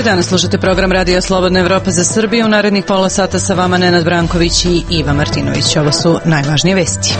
Danas slušate program Radio Slobodna Evropa za Srbiju. U narednih pola sata sa vama Nenad Branković i Iva Martinović. Ovo su najvažnije vesti.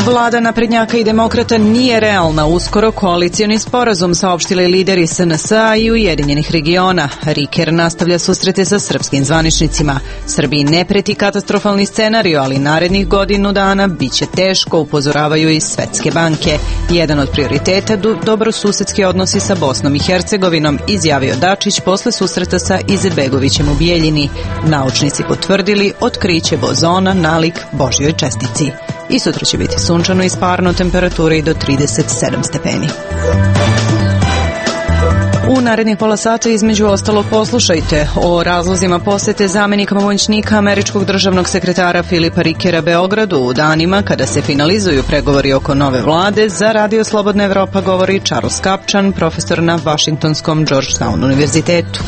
Vlada naprednjaka i demokrata nije realna. Uskoro koalicioni sporazum saopštili lideri SNS-a i Ujedinjenih regiona. Riker nastavlja susrete sa srpskim zvaničnicima. Srbiji ne preti katastrofalni scenariju, ali narednih godinu dana biće teško, upozoravaju i Svetske banke. Jedan od prioriteta dobrosusedski odnosi sa Bosnom i Hercegovinom, izjavio Dačić posle susreta sa Izetbegovićem u Bijeljini. Naučnici potvrdili otkriće bozona nalik Božjoj čestici. I sutra će biti sunčano i sparno, temperature i do 37 stepeni. U narednih pola sata između ostalog poslušajte o razlozima posete zamenika pomoćnika američkog državnog sekretara Filipa Rikera Beogradu u danima kada se finalizuju pregovori oko nove vlade. Za Radio Slobodna Evropa govori Charles Kapčan, profesor na Washingtonskom Georgetown univerzitetu.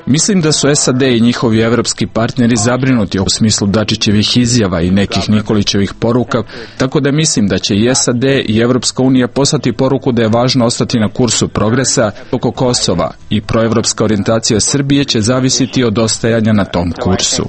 Mislim da su SAD i njihovi evropski partneri zabrinuti u smislu Dačićevih izjava i nekih Nikolićevih poruka, tako da mislim da će i SAD i Evropska unija poslati poruku da je važno ostati na kursu progresa oko Kosova i proevropska orijentacija Srbije će zavisiti od ostajanja na tom kursu.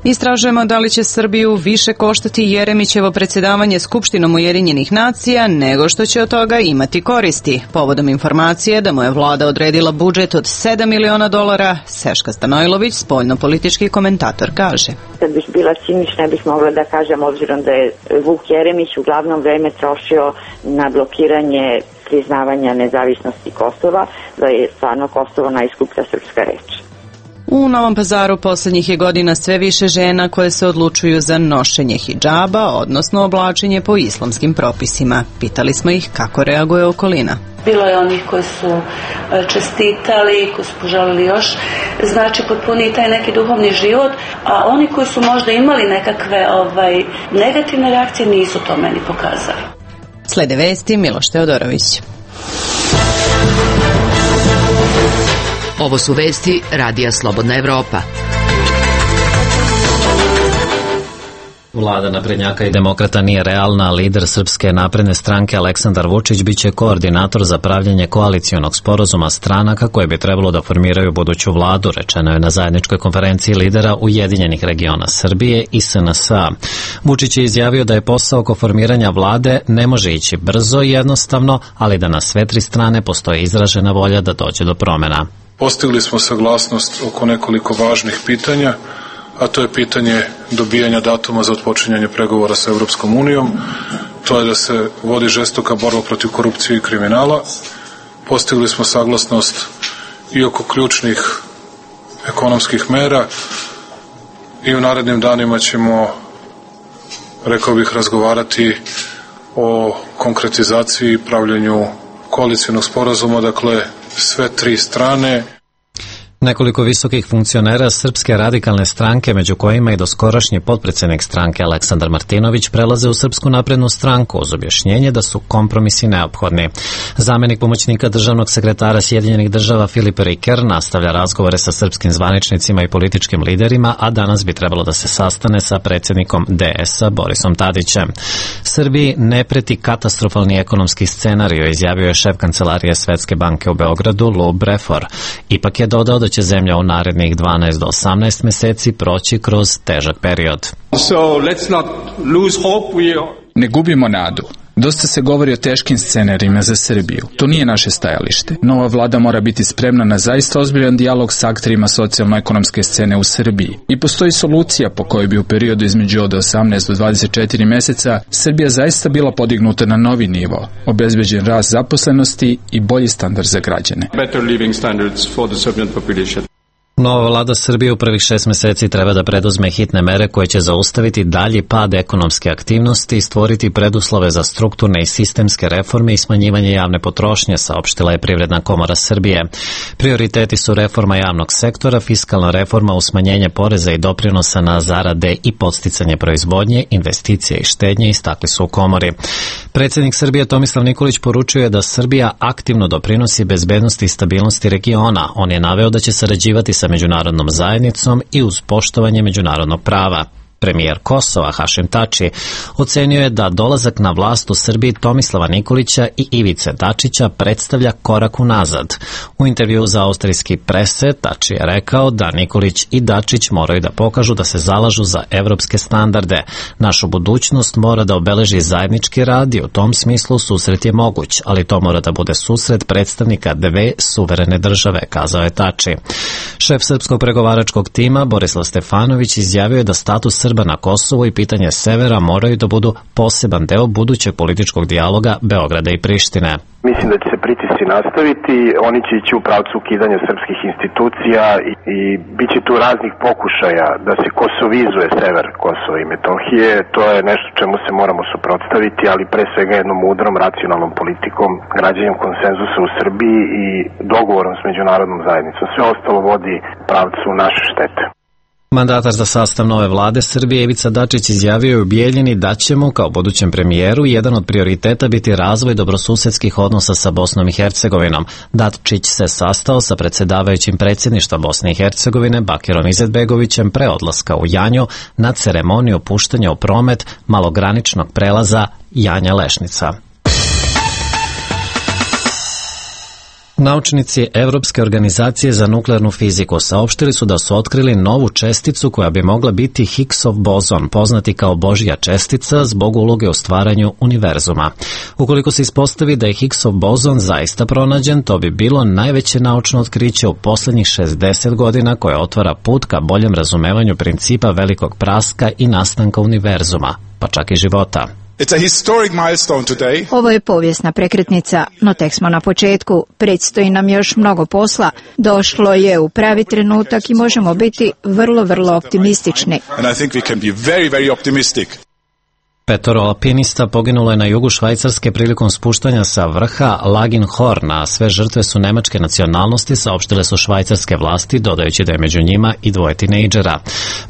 Istražujemo da li će Srbiju više koštati Jeremićevo predsjedavanje Skupštinom Ujedinjenih nacija nego što će od toga imati koristi. Povodom informacije da mu je vlada odredila budžet od $7 miliona, Seška Stanojlović, spoljno-politički komentator, kaže. Kad bih bila cinična, ne bih mogla da kažem, obzirom da je Vuk Jeremić uglavnom vreme trošio na blokiranje priznavanja nezavisnosti Kosova, da je stvarno Kosovo najskuplja srpska reč. U Novom Pazaru posljednjih je godina sve više žena koje se odlučuju za nošenje hidžaba, odnosno oblačenje po islamskim propisima. Pitali smo ih kako reaguje okolina. Bilo je onih koji su čestitali, koji su poželili još, znači potpuni taj neki duhovni život, a oni koji su možda imali nekakve negativne reakcije nisu to meni pokazali. Slede vesti, Miloš Teodorović. Ovo su vesti Radija Slobodna Evropa. Vlada naprednjaka i demokrata nije realna, lider Srpske napredne stranke Aleksandar Vučić biće koordinator za pravljenje koalicionog sporazuma stranaka koje bi trebalo da formiraju buduću vladu, rečeno je na zajedničkoj konferenciji lidera Ujedinjenih regiona Srbije i SNS-a. Vučić je izjavio da je posao oko formiranja vlade ne može ići brzo i jednostavno, ali da na sve tri strane postoji izražena volja da dođe do promena. Postigli smo saglasnost oko nekoliko važnih pitanja, a to je pitanje dobijanja datuma za otpočinjanje pregovora sa Evropskom unijom, to je da se vodi žestoka borba protiv korupcije i kriminala. Postigli smo saglasnost i oko ključnih ekonomskih mera i u narednim danima ćemo, rekao bih, razgovarati o konkretizaciji i pravljenju koalicionog sporazuma, dakle sve tri strane. Nekoliko visokih funkcionera Srpske radikalne stranke, među kojima i doskorašnji potpredsednik stranke Aleksandar Martinović, prelaze u Srpsku naprednu stranku uz objašnjenje da su kompromisi neophodni. Zamenik pomoćnika državnog sekretara Sjedinjenih država Filip Riker nastavlja razgovore sa srpskim zvaničnicima i političkim liderima, a danas bi trebalo da se sastane sa predsjednikom DS-a Borisom Tadićem. Srbiji ne preti katastrofalni ekonomski scenarij, izjavio je šef kancelarije Svetske banke u Beogradu Lou Brefor. Ipak je dodao da će zemlja u narednih 12 do 18 meseci proći kroz težak period. Ne gubimo nadu. Dosta se govori o teškim scenarijima za Srbiju. To nije naše stajalište. Nova vlada mora biti spremna na zaista ozbiljan dijalog s akterima socijalno-ekonomske scene u Srbiji. I postoji solucija po kojoj bi u periodu između od 18 do 24 meseca Srbija zaista bila podignuta na novi nivo, obezbeđen rast zaposlenosti i bolji standard za građane. Nova vlada Srbije u prvih 6 meseci treba da preduzme hitne mere koje će zaustaviti dalji pad ekonomske aktivnosti i stvoriti preduslove za strukturne i sistemske reforme i smanjivanje javne potrošnje, saopštila je Privredna komora Srbije. Prioriteti su reforma javnog sektora, fiskalna reforma uz smanjenje poreza i doprinosa na zarade i podsticanje proizvodnje, investicije i štednje, istakli su u komori. Predsjednik Srbije Tomislav Nikolić poručio je da Srbija aktivno doprinosi bezbednosti i stabilnosti regiona. On je naveo da će sarađivati sa međunarodnom zajednicom i uz poštovanje međunarodnog prava. Premijer Kosova Hašim Tači ocenio je da dolazak na vlast u Srbiji Tomislava Nikolića i Ivice Dačića predstavlja korak unazad. U intervju za austrijski Presse Tači je rekao da Nikolić i Dačić moraju da pokažu da se zalažu za evropske standarde. Našu budućnost mora da obeleži zajednički rad i u tom smislu susret je moguć, ali to mora da bude susret predstavnika dve suverene države, kazao je Tači. Šef srpskog pregovaračkog tima Borislav Stefanović izjavio je da status Srba na Kosovu i pitanje severa moraju da budu poseban deo budućeg političkog dijaloga Beograda i Prištine. Mislim da će se pritisci nastaviti, oni će ići u pravcu ukidanja srpskih institucija i bit će tu raznih pokušaja da se kosovizuje sever Kosova i Metohije. To je nešto čemu se moramo suprotstaviti, ali pre svega jednom mudrom, racionalnom politikom, građenjem konsenzusa u Srbiji i dogovorom s međunarodnom zajednicom. Sve ostalo vodi pravcu naše štete. Mandatar za sastav nove vlade Srbije Ivica Dačić izjavio je u Bijeljini da će mu, kao budućem premijeru, jedan od prioriteta biti razvoj dobrosusedskih odnosa sa Bosnom i Hercegovinom. Dačić se sastao sa predsjedavajućim predsjedništva Bosne i Hercegovine Bakirom Izetbegovićem pre odlaska u Janju na ceremoniju puštanja u promet malograničnog prelaza Janja-Lešnica. Naučnici Evropske organizacije za nuklearnu fiziku saopštili su da su otkrili novu česticu koja bi mogla biti Higgsov bozon, poznati kao Božja čestica zbog uloge u stvaranju univerzuma. Ukoliko se ispostavi da je Higgsov bozon zaista pronađen, to bi bilo najveće naučno otkriće u poslednjih 60 godina koje otvara put ka boljem razumevanju principa velikog praska i nastanka univerzuma, pa čak i života. Ovo je povijesna prekretnica, no tek smo na početku. Predstoji nam još mnogo posla. Došlo je u pravi trenutak i možemo biti vrlo optimistični. Petoro alpinista poginulo je na jugu Švajcarske prilikom spuštanja sa vrha Laginhorn, a sve žrtve su nemačke nacionalnosti, saopštile su švajcarske vlasti, dodajući da je među njima i dvoje tinejdžera.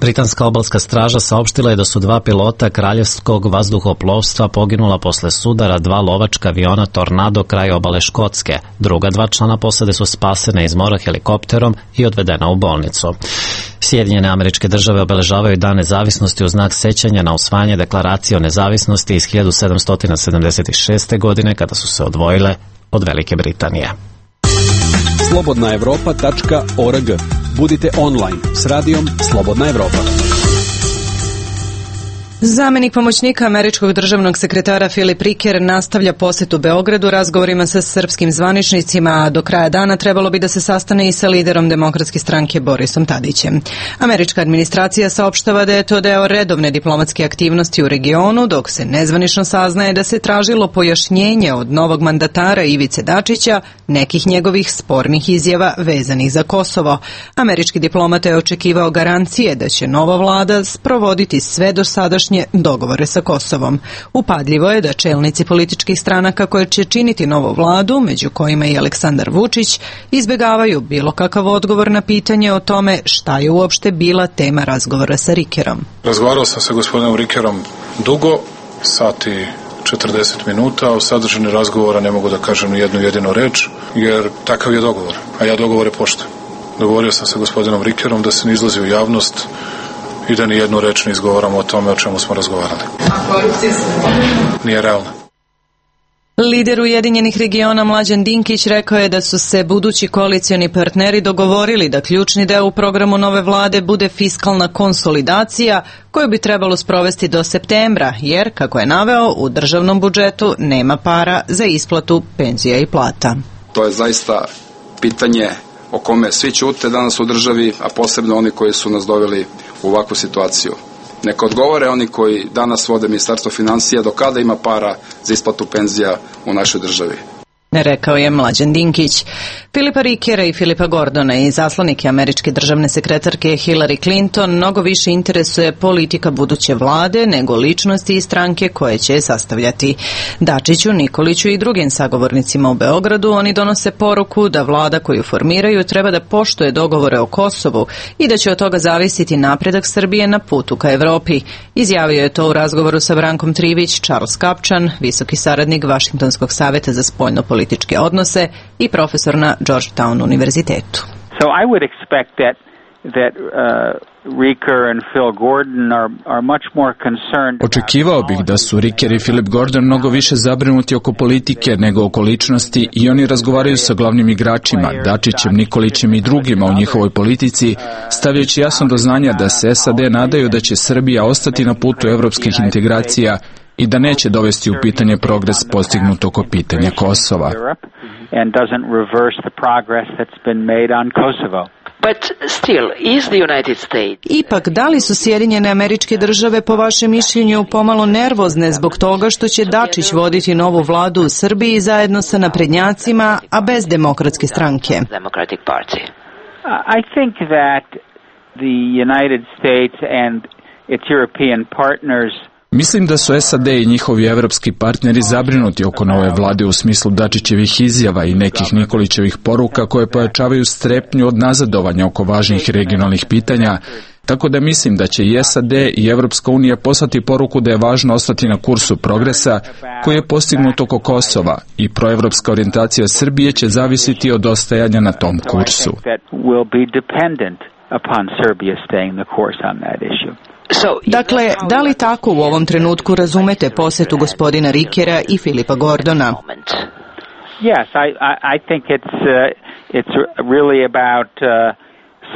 Britanska obalska straža saopštila je da su dva pilota kraljevskog vazduhoplovstva poginula posle sudara dva lovačka aviona Tornado kraj obale Škotske. Druga dva člana posade su spasene iz mora helikopterom i odvedena u bolnicu. Sjedinjene Američke Države obeležavaju Dan nezavisnosti u znak sećanja na usvajanje deklaracije o nezavisnosti iz 1776. godine kada su se odvojile od Velike Britanije. Slobodnaevropa.org. Budite online s radijom Slobodna Evropa. Zamenik pomoćnika američkog državnog sekretara Filip Riker nastavlja posetu Beogradu razgovorima sa srpskim zvaničnicima, a do kraja dana trebalo bi da se sastane i sa liderom Demokratske stranke Borisom Tadićem. Američka administracija saopštava da je to deo redovne diplomatske aktivnosti u regionu, dok se nezvanično saznaje da se tražilo pojašnjenje od novog mandatara Ivice Dačića nekih njegovih spornih izjava vezanih za Kosovo. Američki diplomata je očekivao garancije da će nova vlada sprovoditi sve dosadašnje dogovore sa Kosovom. Upadljivo je da čelnici političkih stranaka koje će činiti novu vladu, među kojima i Aleksandar Vučić, izbjegavaju bilo kakav odgovor na pitanje o tome šta je uopšte bila tema razgovora sa Rikerom. Razgovarao sam sa gospodinom Rikerom dugo, sat i 40 minuta, o sadržini razgovora ne mogu da kažem ni jednu jedinu reč, jer takav je dogovor, a ja dogovore poštujem. Dogovorio sam sa gospodinom Rikerom da se ne izlazi u javnost i da ni jednu reč ne izgovaramo o tome o čemu smo razgovarali. Nije realno. Lider Ujedinjenih regiona Mlađan Dinkić rekao je da su se budući koalicioni partneri dogovorili da ključni deo u programu nove vlade bude fiskalna konsolidacija koju bi trebalo sprovesti do septembra, jer, kako je naveo, u državnom budžetu nema para za isplatu penzija i plata. To je zaista pitanje o kome svi ćute danas u državi, a posebno oni koji su nas doveli u ovakvu situaciju. Neka odgovore oni koji danas vode Ministarstvo finansija do kada ima para za isplatu penzija u našoj državi. Rekao je Mlađan Dinkić. Filipa Rikera i Filipa Gordona i zaslanike američke državne sekretarke Hillary Clinton mnogo više interesuje politika buduće vlade nego ličnosti i stranke koje će je sastavljati. Dačiću, Nikoliću i drugim sagovornicima u Beogradu oni donose poruku da vlada koju formiraju treba da poštuje dogovore o Kosovu i da će od toga zavisiti napredak Srbije na putu ka Evropi. Izjavio je to u razgovoru sa Brankom Trivić Charles Kapčan, visoki saradnik Vašingtonskog saveta za spoljno političke odnose i profesor na Georgetown univerzitetu. So I would expect that Očekivao bih da su Riker i Philip Gordon mnogo više zabrinuti oko politike nego oko ličnosti i oni razgovaraju sa glavnim igračima, Dačićem, Nikolićem i drugima u njihovoj politici, stavljajući jasno do znanja da se SAD nadaju da će Srbija ostati na putu evropskih integracija i da neće dovesti u pitanje progres postignut oko pitanja Kosova. Ipak, da li su Sjedinjene Američke Države po vašem mišljenju pomalo nervozne zbog toga što će Dačić voditi novu vladu u Srbiji zajedno sa naprednjacima, a bez Demokratske stranke? I think that the United States and its European partners Mislim da su SAD i njihovi evropski partneri zabrinuti oko nove vlade u smislu Dačićevih izjava i nekih Nikolićevih poruka koje pojačavaju strepnju od nazadovanja oko važnih regionalnih pitanja, tako da mislim da će i SAD i Evropska unija poslati poruku da je važno ostati na kursu progresa koji je postignut oko Kosova i proevropska orijentacija Srbije će zavisiti od ostajanja na tom kursu. Dakle, da li tako u ovom trenutku razumete posjetu gospodina Rikera i Filipa Gordona? Yes, I think it's really about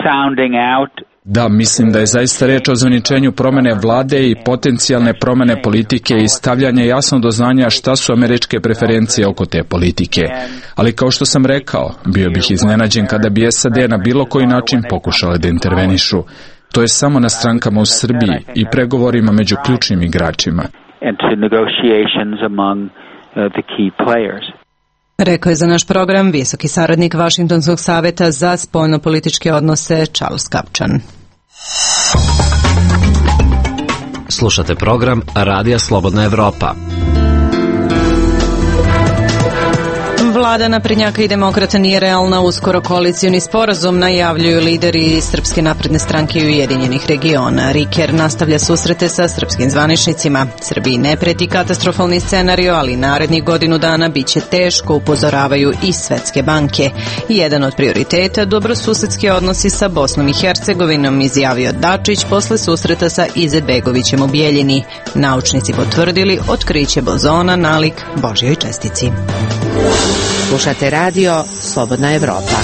sounding out. Da, mislim da je zaista reč o ozvaničenju promene vlade i potencijalne promene politike i stavljanja jasno do znanja šta su američke preferencije oko te politike. Ali kao što sam rekao, bio bih iznenađen kada bi SAD na bilo koji način pokušale da intervenišu. To je samo na strankama u Srbiji i pregovorima među ključnim igračima. Rekao je za naš program visoki saradnik Vašingtonskog saveta za spoljnopolitičke odnose Charles Kapčan. Slušate program Radija Slobodna Evropa. Vlada naprednjaka i demokrata nije realna, uskoro koalicioni sporazum najavljuju lideri Srpske napredne stranke i Ujedinjenih regiona. Riker nastavlja susrete sa srpskim zvaničnicima. Srbiji ne preti katastrofalni scenario, ali narednih godinu dana biće teško, upozoravaju i Svetske banke. Jedan od prioriteta dobrosusedski odnosi sa Bosnom i Hercegovinom, izjavio Dačić posle susreta sa Izetbegovićem u Bijeljini. Naučnici potvrdili otkriće bozona nalik Božjoj čestici. Slušate radio Slobodna Evropa.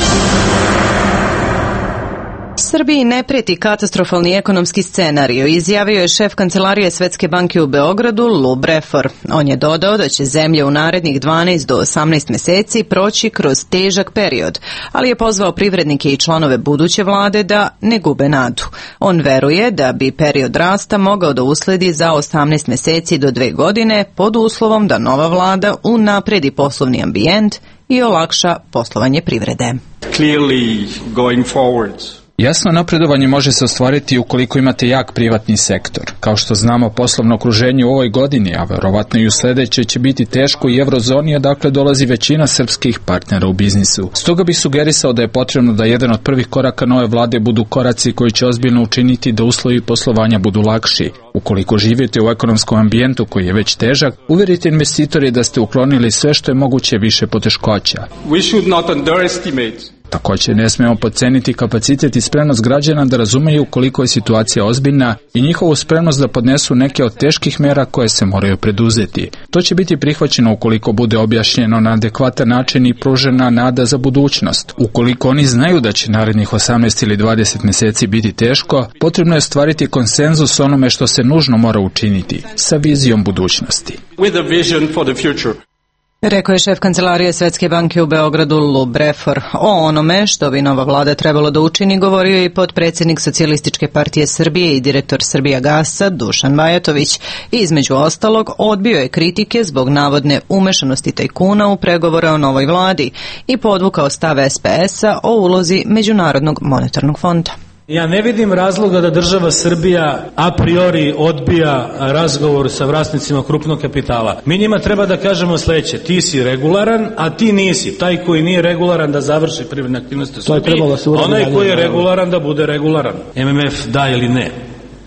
Srbiji ne preti katastrofalni ekonomski scenario, izjavio je šef kancelarije Svetske banke u Beogradu, Lou Brefor. On je dodao da će zemlja u narednih 12 do 18 meseci proći kroz težak period, ali je pozvao privrednike i članove buduće vlade da ne gube nadu. On veruje da bi period rasta mogao da usledi za 18 meseci do 2 godine pod uslovom da nova vlada unapredi poslovni ambijent i olakša poslovanje privrede. Clearly going forwards. Jasno napredovanje može se ostvariti ukoliko imate jak privatni sektor. Kao što znamo, poslovno okruženje u ovoj godini, a verovatno i u sledećoj, će biti teško i eurozoni, odakle dolazi većina srpskih partnera u biznisu. Stoga bih sugerisao da je potrebno da jedan od prvih koraka nove vlade budu koraci koji će ozbiljno učiniti da uslovi poslovanja budu lakši. Ukoliko živite u ekonomskom ambijentu koji je već težak, uverite investitore da ste uklonili sve što je moguće više poteškoća. We should not underestimate. Također ne smemo podceniti kapacitet i spremnost građana da razumeju koliko je situacija ozbiljna i njihovu spremnost da podnesu neke od teških mera koje se moraju preduzeti. To će biti prihvaćeno ukoliko bude objašnjeno na adekvatan način i pružena nada za budućnost. Ukoliko oni znaju da će narednih 18 ili 20 meseci biti teško, potrebno je stvariti konsenzus onome što se nužno mora učiniti, sa vizijom budućnosti. With a vision for the future. Rekao je šef kancelarije Svetske banke u Beogradu Lou Brefor. O onome što bi nova vlada trebalo da učini govorio je i potpredsjednik Socijalističke partije Srbije i direktor Srbijagasa Dušan Bajatović. I između ostalog odbio je kritike zbog navodne umešanosti tajkuna u pregovore o novoj vladi i podvukao stav SPS-a o ulozi Međunarodnog monetarnog fonda. Ja ne vidim razloga da država Srbija a priori odbija razgovor sa vlasnicima krupnog kapitala. Mi njima treba da kažemo sledeće: ti si regularan, a ti nisi. Taj koji nije regularan da završi privredne aktivnosti u Srbiji, onaj koji je regularan da bude regularan. MMF da ili ne.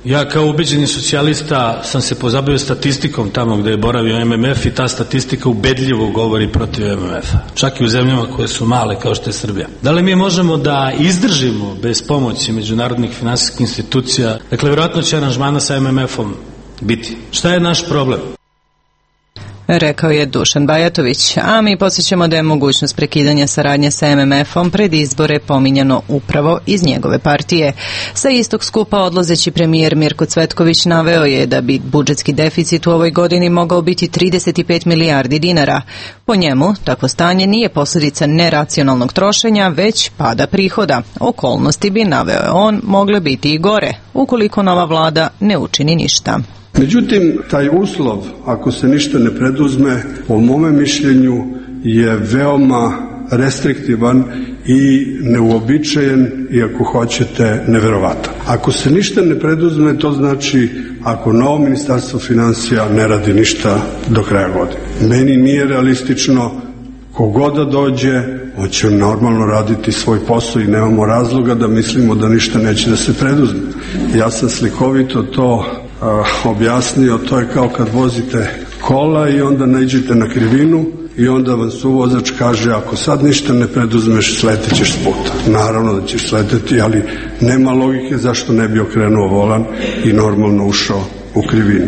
Ja kao ubeđeni socijalista sam se pozabavio statistikom tamo gde je boravio MMF i ta statistika ubedljivo govori protiv MMF-a. Čak i u zemljama koje su male kao što je Srbija. Da li mi možemo da izdržimo bez pomoći međunarodnih finansijskih institucija? Dakle, vjerojatno će aranžmana sa MMF-om biti. Šta je naš problem? Rekao je Dušan Bajatović, a mi podsjećamo da je mogućnost prekidanja saradnje sa MMF-om pred izbore pominjano upravo iz njegove partije. Sa istog skupa odlazeći premijer Mirko Cvetković naveo je da bi budžetski deficit u ovoj godini mogao biti 35 milijardi dinara. Po njemu, takvo stanje nije posljedica neracionalnog trošenja, već pada prihoda. Okolnosti bi, naveo je on, mogle biti i gore, ukoliko nova vlada ne učini ništa. Međutim, taj uslov, ako se ništa ne preduzme, po mome mišljenju je veoma restriktivan i neuobičajen i, ako hoćete, neverovatan. Ako se ništa ne preduzme, to znači ako novo ministarstvo finansija ne radi ništa do kraja godine. Meni nije realistično, kogod da dođe, on će normalno raditi svoj posao i nemamo razloga da mislimo da ništa neće da se preduzme. Ja sam slikovito to objasnio, to je kao kad vozite kola i onda naiđete na krivinu i onda vam suvozač kaže, ako sad ništa ne preduzmeš, sletećeš s puta. Naravno da ćeš sleteti, ali nema logike zašto ne bi okrenuo volan i normalno ušao u krivinu.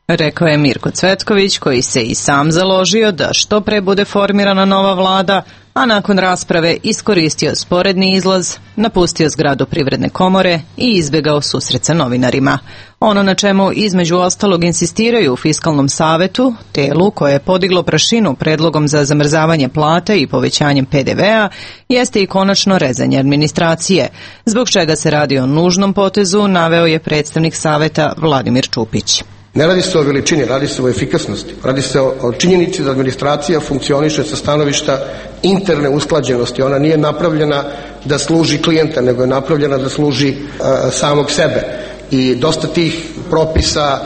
Rekao je Mirko Cvetković, koji se i sam založio da što pre bude formirana nova vlada, a nakon rasprave iskoristio sporedni izlaz, napustio zgradu Privredne komore i izbjegao susret sa novinarima. Ono na čemu između ostalog insistiraju u Fiskalnom savetu, telu koje je podiglo prašinu predlogom za zamrzavanje plate i povećanjem PDV-a, jeste i konačno rezanje administracije, zbog čega se radi o nužnom potezu, naveo je predstavnik saveta Vladimir Čupić. Ne radi se o veličini, radi se o efikasnosti. Radi se o činjenici da administracija funkcioniše sa stanovišta interne usklađenosti. Ona nije napravljena da služi klijenta, nego je napravljena da služi samog sebe. I dosta tih propisa,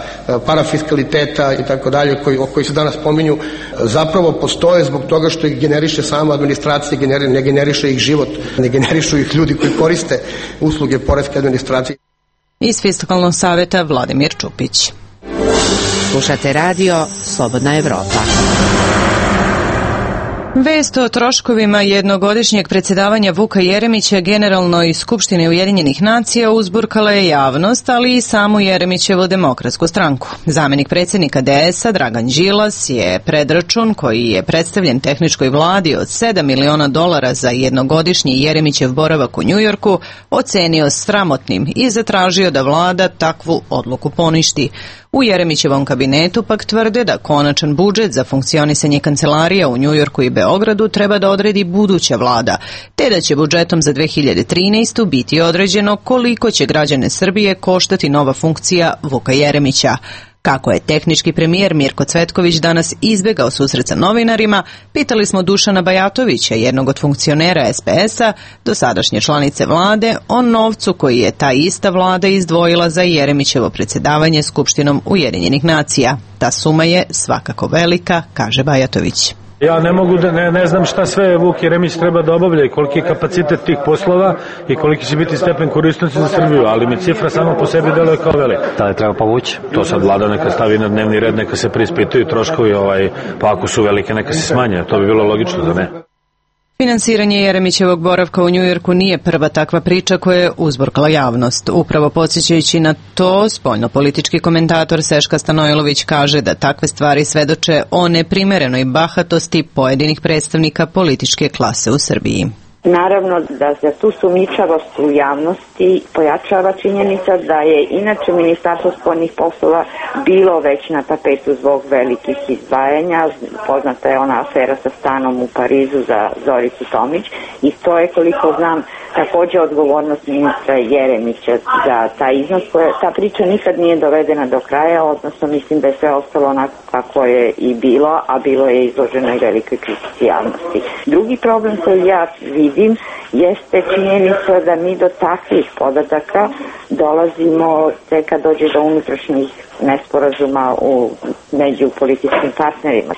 parafiskaliteta i tako dalje, koji se danas pominju, zapravo postoje zbog toga što ih generiše sama administracija, ne generiše ih život, ne generišu ih ljudi koji koriste usluge poreske administracije. Iz Fiskalnog saveta Vladimir Čupić. Slušate radio Slobodna Evropa. Vest o troškovima jednogodišnjeg predsjedavanja Vuka Jeremića Generalnoj skupštini Ujedinjenih nacija uzburkala je javnost, ali i samu Jeremićevu Demokratsku stranku. Zamjenik predsjednika DS-a Dragan Đilas je predračun koji je predstavljen tehničkoj vladi od $7 miliona za jednogodišnji Jeremićev boravak u Njujorku ocenio sramotnim i zatražio da vlada takvu odluku poništi. U Jeremićevom kabinetu pak tvrde da konačan budžet za funkcionisanje kancelarija u Njujorku i Beogradu treba da odredi buduća vlada, te da će budžetom za 2013. biti određeno koliko će građane Srbije koštati nova funkcija Vuka Jeremića. Kako je tehnički premijer Mirko Cvetković danas izbjegao susret sa novinarima, pitali smo Dušana Bajatovića, jednog od funkcionera SPS-a, dosadašnje članice vlade, o novcu koji je ta ista vlada izdvojila za Jeremićevo predsjedavanje Skupštinom Ujedinjenih nacija. Ta suma je svakako velika, kaže Bajatović. Ja ne mogu da ne znam šta sve Vuk Jeremić treba da obavlja i koliki je kapacitet tih poslova i koliki će biti stepen korisnosti za Srbiju, ali mi cifra samo po sebi deluje kao velika. Da li treba povući? To sad vlada neka stavi na dnevni red, neka se preispituju troškovi, pa ako su velike neka se smanje, to bi bilo logično, da ne? Finansiranje Jeremićevog boravka u Njujorku nije prva takva priča koja je uzburkala javnost. Upravo podsjećajući na to, spoljnopolitički komentator Seška Stanojlović kaže da takve stvari svedoče o neprimerenoj bahatosti pojedinih predstavnika političke klase u Srbiji. Naravno da za tu sumnjičavost u javnosti pojačava činjenica da je inače Ministarstvo spoljnih poslova bilo već na tapetu zbog velikih izdvajanja. Poznata je ona afera sa stanom u Parizu za Zoricu Tomić i to je, koliko znam, također odgovornost ministra Jeremića za taj iznos. Ta priča nikad nije dovedena do kraja, odnosno mislim da je sve ostalo onako kako je i bilo, a bilo je izloženo i velikoj kritici javnosti. Drugi problem koji ja vidim jeste činjenica da mi do takvih podataka dolazimo tek kad dođe do unutrašnjih nesporazuma među političkim partnerima.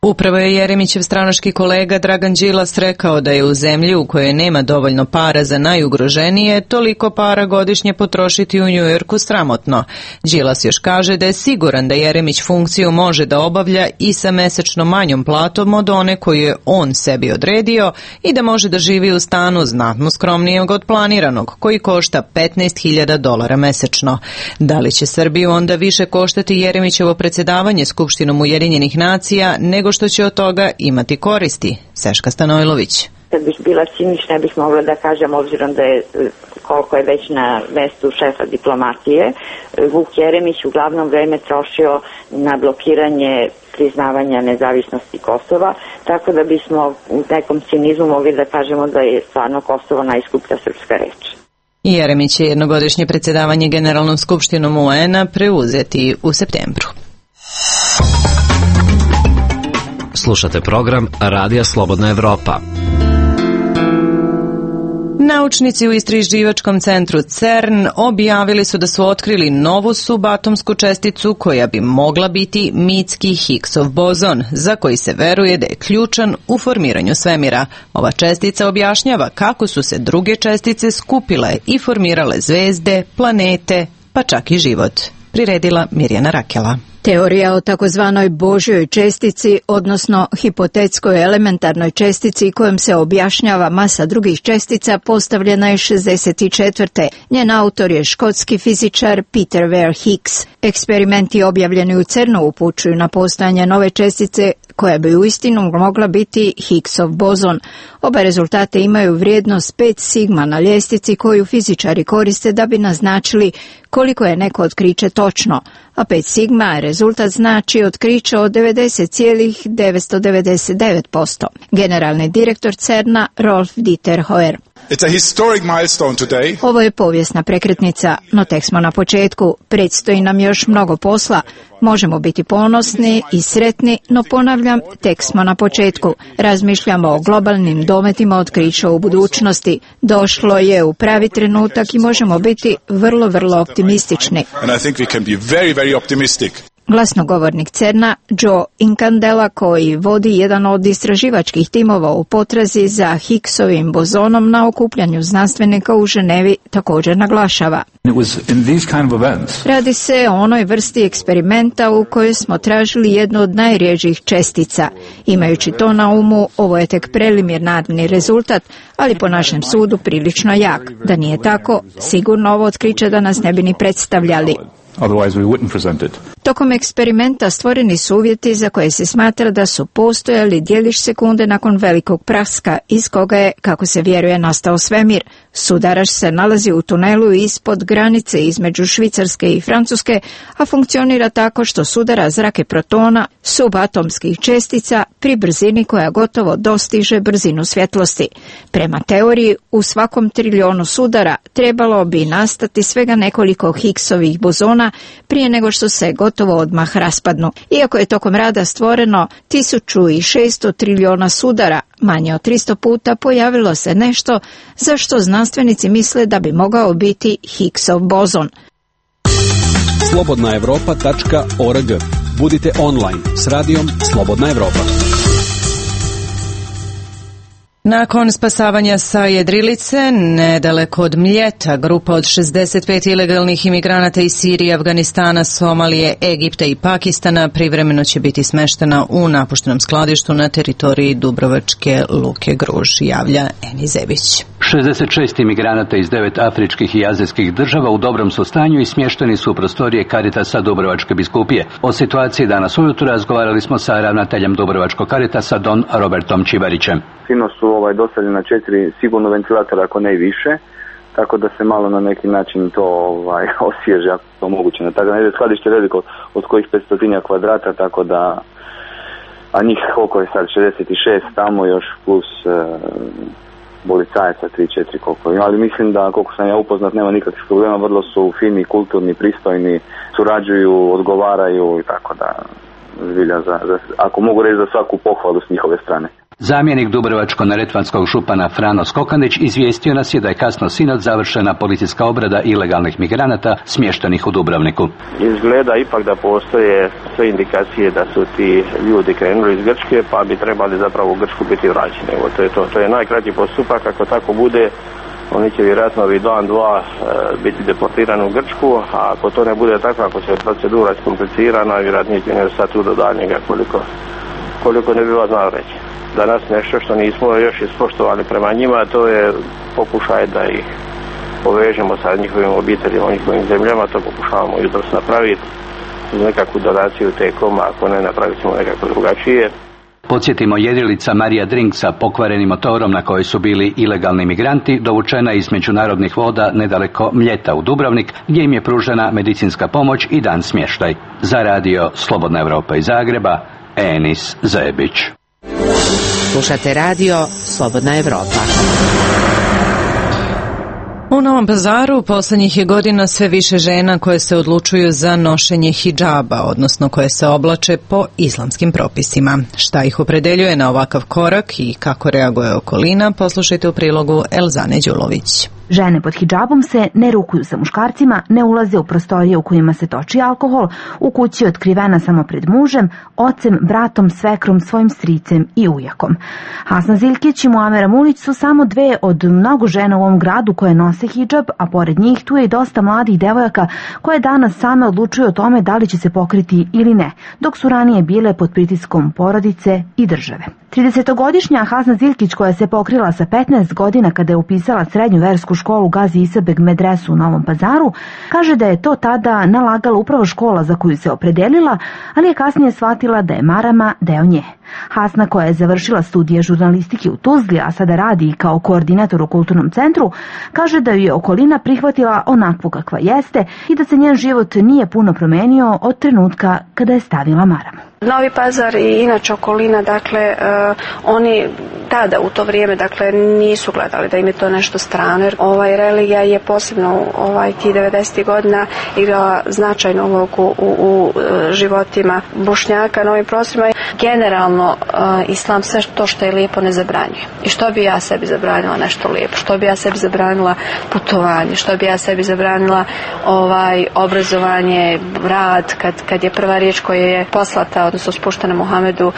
Upravo je Jeremićev stranački kolega Dragan Đilas rekao da je u zemlji u kojoj nema dovoljno para za najugroženije, toliko para godišnje potrošiti u Njujorku sramotno. Đilas još kaže da je siguran da Jeremić funkciju može da obavlja i sa mesečno manjom platom od one koju je on sebi odredio i da može da živi u stanu znatno skromnijeg od planiranog, koji košta $15.000 mesečno. Da li će Srbiju onda više koštati Jeremićevo predsjedavanje Skupštinom Ujedinjenih nacija nego što će od toga imati koristi? Seška Stanojlović. Kad bih bila cinična, bih mogla da kažem, obzirom da je koliko je već na mestu šefa diplomatije, Vuk Jeremić uglavnom vreme trošio na blokiranje priznavanja nezavisnosti Kosova, tako da bismo u nekom cinizmu mogli da kažemo da je stvarno Kosovo najskuplja srpska reč. Jeremić će jednogodišnje predsjedavanje Generalnom skupštinom UN-a preuzeti u septembru. Slušate program Radija Slobodna Evropa. Naučnici u istraživačkom centru CERN objavili su da su otkrili novu subatomsku česticu koja bi mogla biti mitski Higgsov bozon, za koji se veruje da je ključan u formiranju svemira. Ova čestica objašnjava kako su se druge čestice skupile i formirale zvezde, planete, pa čak i život. Priredila Mirjana Rakela. Teorija o takozvanoj Božjoj čestici, odnosno hipotetskoj elementarnoj čestici kojom se objašnjava masa drugih čestica, postavljena je 64. Njen autor je škotski fizičar Peter Ware Higgs. Eksperimenti objavljeni u CERN-u upućuju na postojanje nove čestice koja bi uistinu mogla biti Higgsov bozon. Oba rezultate imaju vrijednost 5 sigma na ljestvici koju fizičari koriste da bi naznačili koliko je neko otkriće točno, a 5 sigma rezultat znači otkriće od 90,999%. Generalni direktor CERN-a Rolf Dieter Hoer. Ovo je povijesna prekretnica, no tek smo na početku. Predstoji nam još mnogo posla. Možemo biti ponosni i sretni, no ponavljam, tek smo na početku. Razmišljamo o globalnim dometima otkrića u budućnosti. Došlo je u pravi trenutak i možemo biti vrlo, vrlo optimistični. Glasnogovornik CERN-a Joe Incandela, koji vodi jedan od istraživačkih timova u potrazi za Higgsovim bozonom na okupljanju znanstvenika u Ženevi, također naglašava. Radi se o onoj vrsti eksperimenta u kojoj smo tražili jednu od najrjeđih čestica. Imajući to na umu, ovo je tek preliminarni rezultat, ali po našem sudu prilično jak. Da nije tako, sigurno ovo otkriće da nas ne bi ni predstavljali. Tokom eksperimenta stvoreni su uvjeti za koje se smatra da su postojali djelić sekunde nakon velikog praska, iz koga je, kako se vjeruje, nastao svemir. Sudaraš se nalazi u tunelu ispod granice između Švicarske i Francuske, a funkcionira tako što sudara zrake protona, subatomskih čestica, pri brzini koja gotovo dostiže brzinu svjetlosti. Prema teoriji, u svakom trilijonu sudara trebalo bi nastati svega nekoliko Higgsovih bozona prije nego što se gotovo odmah raspadnu. Iako je tokom rada stvoreno 1600 trilijona sudara, manje od 300 puta pojavilo se nešto za što znanstvenici misle da bi mogao biti Higgsov bozon. slobodnaevropa.org. Budite online s radijom Slobodna Evropa. Nakon spasavanja sa jedrilice, nedaleko od Mljeta, grupa od 65 ilegalnih imigranata iz Sirije, Afganistana, Somalije, Egipta i Pakistana privremeno će biti smeštena u napuštenom skladištu na teritoriji Dubrovačke luke Gruž, javlja Eni Zebić. 66 imigranata iz 9 afričkih i azijskih država u dobrom su stanju i smješteni su u prostorije Caritasa Dubrovačke biskupije. O situaciji danas ujutro razgovarali smo sa ravnateljem Dubrovačkog Caritasa Don Robertom Čivarićem. Sinoć su dostavljena 4 sigurno ventilatora, ako ne i više, tako da se malo na neki način to osvježe, ako je to moguće. Tako da je skladište veliko, od kojih 500 kvadrata, tako da, a njih koliko je sad, 66 tamo još plus policajaca 3-4 koliko ima, ali mislim da koliko sam ja upoznat nema nikakvih problema, vrlo su fini, kulturni, pristojni, surađuju, odgovaraju i tako da zbilja ako mogu reći za svaku pohvalu s njihove strane. Zamjenik dubrovačko-neretvanskog župana Frano Skokandić izvijestio nas je da je kasno sinoć završena policijska obrada ilegalnih migranata smještenih u Dubrovniku. Izgleda ipak da postoje sve indikacije da su ti ljudi krenuli iz Grčke, pa bi trebali zapravo u Grčku biti vraćeni. Evo, to je to. To je najkraći postupak. Ako tako bude, oni će vjerojatno ovih dan, dva biti deportirani u Grčku, a ako to ne bude tako, ako se procedura iskomplicirana, vjerojatno će ne ostati tu do daljnjega koliko ne bi vas znao reći. Danas nešto što nismo još ispoštovali prema njima, to je pokušaj da ih povežemo sa njihovim obiteljima, njihovim zemljama, to pokušavamo jutros napraviti uz nekakvu donaciju T-Coma, ako ne napravit ćemo nekako drugačije. Podsjetimo, jedrilica Marija Drink sa pokvarenim motorom na kojoj su bili ilegalni migranti dovučena iz međunarodnih voda nedaleko Mljeta u Dubrovnik, gdje im je pružena medicinska pomoć i dan smještaj. Za radio Slobodna Evropa iz Zagreba, Enis Zebić. Slušate radio Slobodna Evropa. U Novom Pazaru poslednjih je godina sve više žena koje se odlučuju za nošenje hidžaba, odnosno koje se oblače po islamskim propisima. Šta ih opredeljuje na ovakav korak i kako reaguje okolina, poslušajte u prilogu Elzane Đulović. Žene pod hidžabom se ne rukuju sa muškarcima, ne ulaze u prostorije u kojima se toči alkohol, u kući je otkrivena samo pred mužem, ocem, bratom, svekrom, svojim stricem i ujakom. Hasna Ziljkić i Muamera Mulić su samo dve od mnogo žena u ovom gradu koje nose hidžab, a pored njih tu je i dosta mladih devojaka koje danas same odlučuju o tome da li će se pokriti ili ne, dok su ranije bile pod pritiskom porodice i države. 30-godišnja Hasna Ziljkić, koja se pokrila sa 15 godina kada je upisala srednju versku školu Gazi Isabek Medresu u Novom Pazaru, kaže da je to tada nalagala upravo škola za koju se opredelila, ali je kasnije shvatila da je marama deo nje. Hasna, koja je završila studije žurnalistike u Tuzli, a sada radi kao koordinator u kulturnom centru, kaže da ju je okolina prihvatila onakvu kakva jeste i da se njen život nije puno promenio od trenutka kada je stavila maramu. Novi Pazar i inače okolina, dakle, oni tada u to vrijeme, dakle, nisu gledali da im je to nešto strano, jer religija je posebno ti 90. godina igrala značajnu ulogu u životima Bošnjaka na ovim prostorima. Generalno, islam sve to što je lijepo ne zabranjuje. I što bi ja sebi zabranila nešto lijepo? Što bi ja sebi zabranila putovanje? Što bi ja sebi zabranila obrazovanje, rad, kad je prva riječ koja je poslata, odnosno spuštena Muhamedu,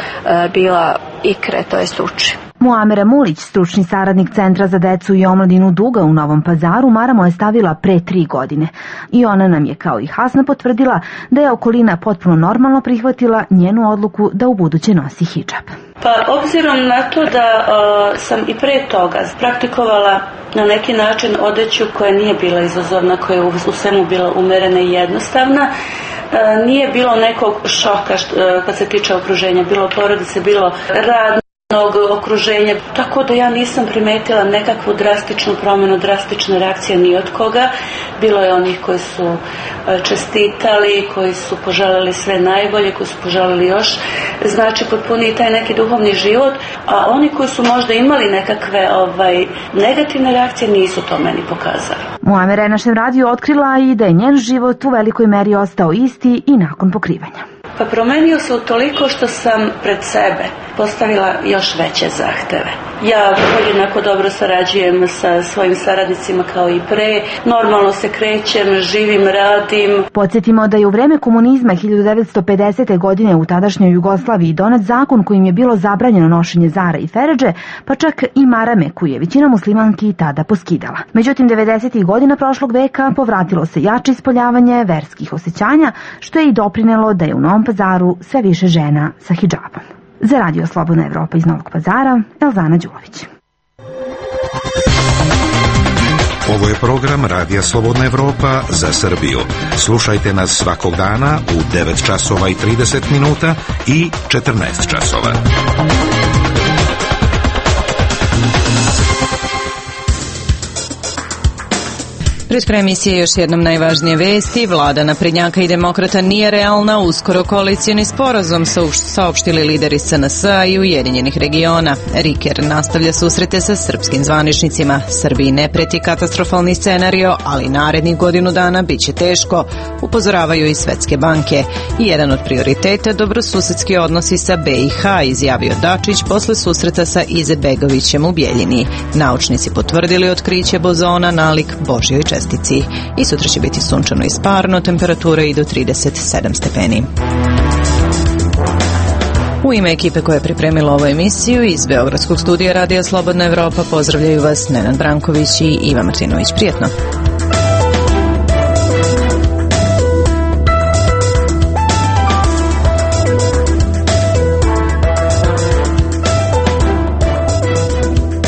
bila ikre, to jest uči. Muamera Mulić, stručni saradnik Centra za decu i omladinu Duga u Novom Pazaru, maramo je stavila pre 3 godine. I ona nam je, kao i Hasna, potvrdila da je okolina potpuno normalno prihvatila njenu odluku da ubuduće nosi hidžab. Pa obzirom na to da sam i pre toga praktikovala na neki način odeću koja nije bila izazovna, koja je u svemu bila umerena i jednostavna, nije bilo nekog šoka kad se tiče okruženja, bilo porodice, bilo radnog okruženja, tako da ja nisam primetila nekakvu drastičnu promjenu, drastične reakcije ni od koga. Bilo je onih koji su čestitali, koji su poželjeli sve najbolje, koji su poželjeli još potpuni taj neki duhovni život, a oni koji su možda imali nekakve negativne reakcije nisu to meni pokazali. Muamera je našem radiju otkrila i da je njen život u velikoj meri ostao isti i nakon pokrivanja. Pa promenio se utoliko što sam pred sebe postavila još veće zahteve. Ja podjednako dobro sarađujem sa svojim saradnicima kao i pre, normalno se krećem, živim, radim. Podsjetimo da je u vreme komunizma 1950. godine u tadašnjoj Jugoslaviji donet zakon kojim je bilo zabranjeno nošenje zara i feredže, pa čak i marame koju je većina muslimanki tada poskidala. Međutim, 90. godina prošlog veka povratilo se jače ispoljavanje verskih osjećanja, što je i doprinelo da je u Novom Pazaru sve više žena sa hidžabom. Za radio Slobodna Evropa iz Novog Pazara, Elzana Đulović. Ovo je program Radija Slobodna Evropa za Srbiju. Slušajte nas svakog dana u 9 časova i 30 minuta i 14 časova. Pred krajem emisije još jednom najvažnije vesti. Vlada naprednjaka i demokrata nije realna. Uskoro koalicijni sporazum saopštili lideri SNS-a i Ujedinjenih regiona. Riker nastavlja susrete sa srpskim zvaničnicima. Srbiji ne preti katastrofalni scenario, ali narednih godinu dana bit će teško, upozoravaju i svetske banke. I jedan od prioriteta dobrosusedski odnosi sa BiH, izjavio Dačić posle susreta sa Izetbegovićem u Bjeljini. Naučnici potvrdili otkriće bozona nalik Božjoj čestici. I sutra će biti sunčano i sparno, temperatura i do 37 stepeni. U ime ekipe koja je pripremila ovu emisiju iz Beogradskog studija Radija Slobodna Evropa pozdravljaju vas Nenad Branković i Iva Martinović. Prijetno!